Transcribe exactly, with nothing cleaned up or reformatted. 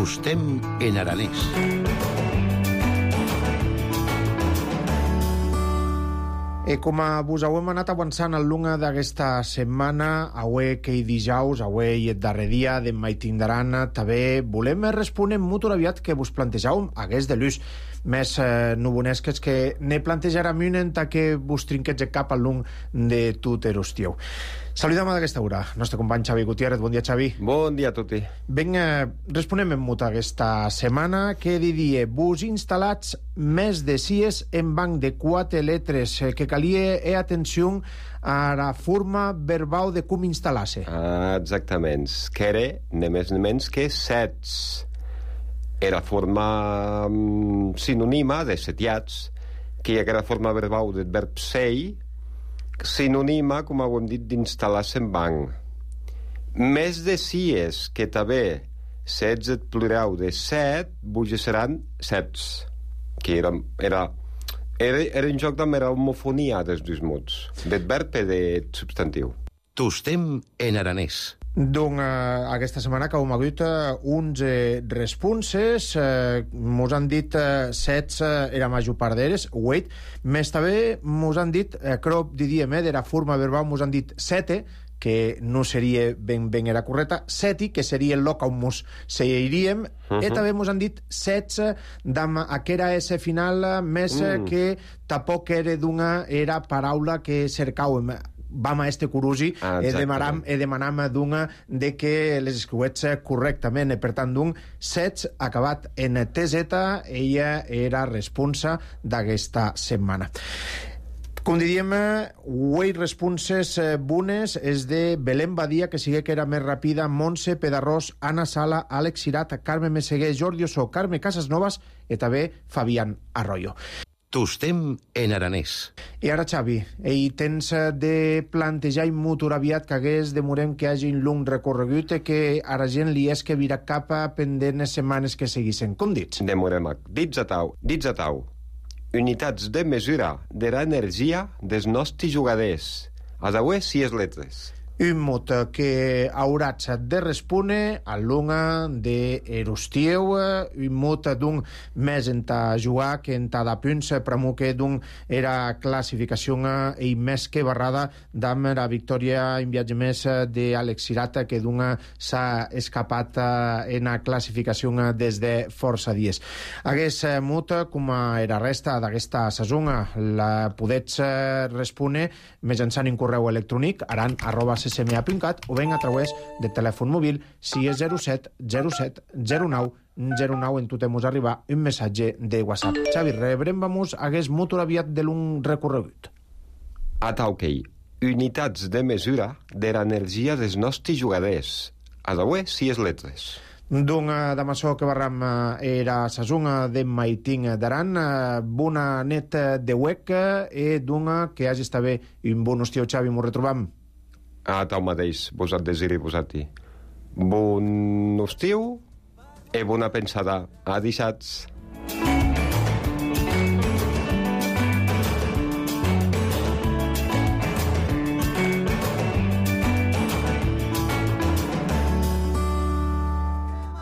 Tostem en aranès. E com vos hem anat avançant al longa d'aquesta setmana, avui que hi dijous, avui el darrer dia de mai tindran, també volem respondre molt aviat que vos plantejàvem hagués de l'ús més eh, nubonesques que ne plantejarà un que vos trinquets el cap al long de tot el estiu. Saludem d'aquesta hora, nostre company Xavi Gutiérrez. Bon dia, Xavi. Bon dia a tutti. Ben, eh, responem en mut aquesta setmana que diria vos instal·lats més de cies en banc de quatre letres eh, que calia e atenció a la forma verbal de com instal·lar-se. Ah, exactament. Que era, ne més ne menys que sets. Era forma mm, sinònima de setiats, que hi ha la forma verbal del verb sei, sinònima, com ho hem dit, d'instal·lar-se en banc. Més de cies, que també sets el plural de set, vull seran sets, que era, era, era, era un joc de homofonia dels dos mots, del verb i del substantiu. Tostem en aranès. Doncs eh, aquesta setmana que hem hagut eh, uns eh, responses, eh, mos han dit eh, sets eh, era major part d'eres, wait, més també mos han dit, eh, crop diríem, eh, de la forma verbal, mos han dit sete, que no seria ben, ben era correcta, seti, que seria el lloc on mos seiríem, uh -huh. i també mos han dit setze, d'am aquera S final, més uh. que tampoc era d'una era paraula que cercàvem. Vam a este curusi ah, e demanam, e demanam d'una de que les escriuets correctament, e per tant d'un sets acabat en T Z, ella era responsa d'aquesta setmana. Com diríem, avui responses bones és de Belén Badia, que sigue que era més ràpida, Montse Pedarrós, Anna Sala, Àlex Cirat, Carme Meseguer, Jordi Ossó, Carme Casasnovas i també Fabián Arroyo. Tostem en aranès. I ara, Xavi, ell tens de plantejar molt aviat que hagués demorem que hagi un long recorregut i que a la gent li és que vira cap pendent les setmanes que seguissin. Com dits? Demorem. Dits a tau. Dits a tau. Unitats de mesura de l'energia dels nostres jugadors. A d'avui, sis letres. Un mot que hauràs de respondre a l'una de Erostieu, un mot d'un més en ta jugar que en ta de punts, però que d'un era classificació i més que barrada d'am la victòria en viatge més d'Àlex Cirat, que d'un s'ha escapat en la classificació des de força dies. Aquest mot, com era resta d'aquesta saison, la podets respondre mitjançant un correu electrònic aran arroba c c m a punt cat o ben a través del telèfon mòbil si és zero set zero set zero nou zero nou en tu temos arribar un missatge de WhatsApp. Xavi, rebrem vamos hagués molt aviat de l'un recorregut. A tauquei. Unitats de mesura de l'energia dels nostres jugadors. A d'avui, sis letres. Doncs de maçó que barram era sa zona de Maiting d'Aran, bona net de huec i d'una que hagi estat bé un bon estiu, Xavi, m'ho retrobam. A tau mateix, vos et desiri, vos et dir. Bon estiu i bona pensada. Adisats.